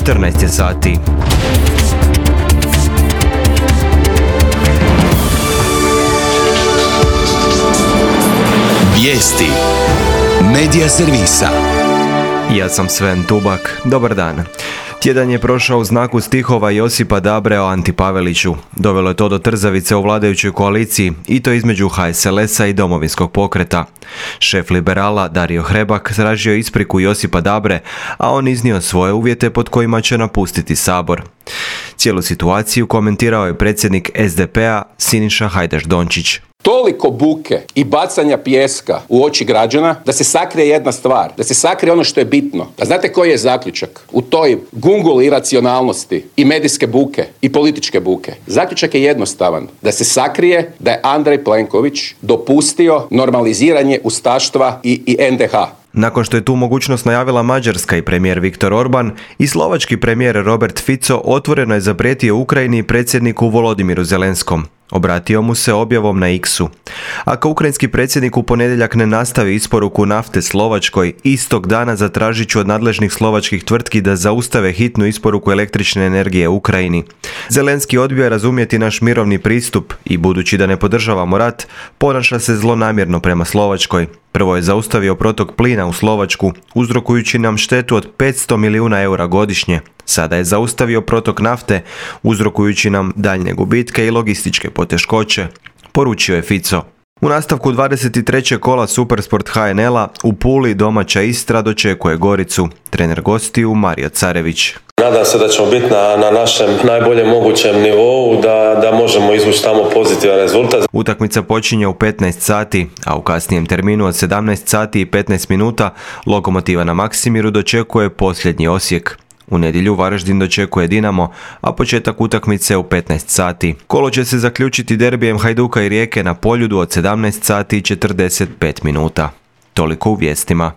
14 je sati. Vijesti Medija servisa. Ja sam Sven Tubak. Dobar dan. Tjedan je prošao u znaku stihova Josipa Dabre o Anti Paveliću. Dovelo je to do trzavice u vladajućoj koaliciji i to između HSLS-a i Domovinskog pokreta. Šef liberala Dario Hrebak tražio ispriku Josipa Dabre, a on iznio svoje uvjete pod kojima će napustiti Sabor. Cijelu situaciju komentirao je predsjednik SDP-a Siniša Hajdaš Dončić. Toliko buke i bacanja pijeska u oči građana da se sakrije jedna stvar, da se sakrije ono što je bitno. A znate koji je zaključak u toj gunguli iracionalnosti i medijske buke i političke buke? Zaključak je jednostavan, da se sakrije da je Andrej Plenković dopustio normaliziranje ustaštva i NDH. Nakon što je tu mogućnost najavila Mađarska i premijer Viktor Orban, i slovački premijer Robert Fico otvoreno je zaprijetio Ukrajini i predsjedniku Volodimiru Zelenskom. Obratio mu se objavom na X-u. Ako ukrajinski predsjednik u ponedjeljak ne nastavi isporuku nafte Slovačkoj, istog dana zatražit ću od nadležnih slovačkih tvrtki da zaustave hitnu isporuku električne energije Ukrajini. Zelenski odbio je razumjeti naš mirovni pristup i, budući da ne podržavamo rat, ponaša se zlonamjerno prema Slovačkoj. Prvo je zaustavio protok plina u Slovačku, uzrokujući nam štetu od 500 milijuna eura godišnje. Sada je zaustavio protok nafte, uzrokujući nam daljnje gubitke i logističke poteškoće, poručio je Fico. U nastavku 23. kola Supersport HNL-a u Puli domaća Istra dočekuje Goricu. Trener gostiju Mario Carević. Nadam se da ćemo biti na našem najboljem mogućem nivou, da možemo izvući tamo pozitivan rezultat. Utakmica počinje u 15 sati, a u kasnijem terminu od 17 sati i 15 minuta Lokomotiva na Maksimiru dočekuje posljednji Osijek. U nedjelju Varaždin dočekuje Dinamo, a početak utakmice u 15 sati. Kolo će se zaključiti derbijem Hajduka i Rijeke na Poljudu od 17 sati i 45 minuta. Toliko u vijestima.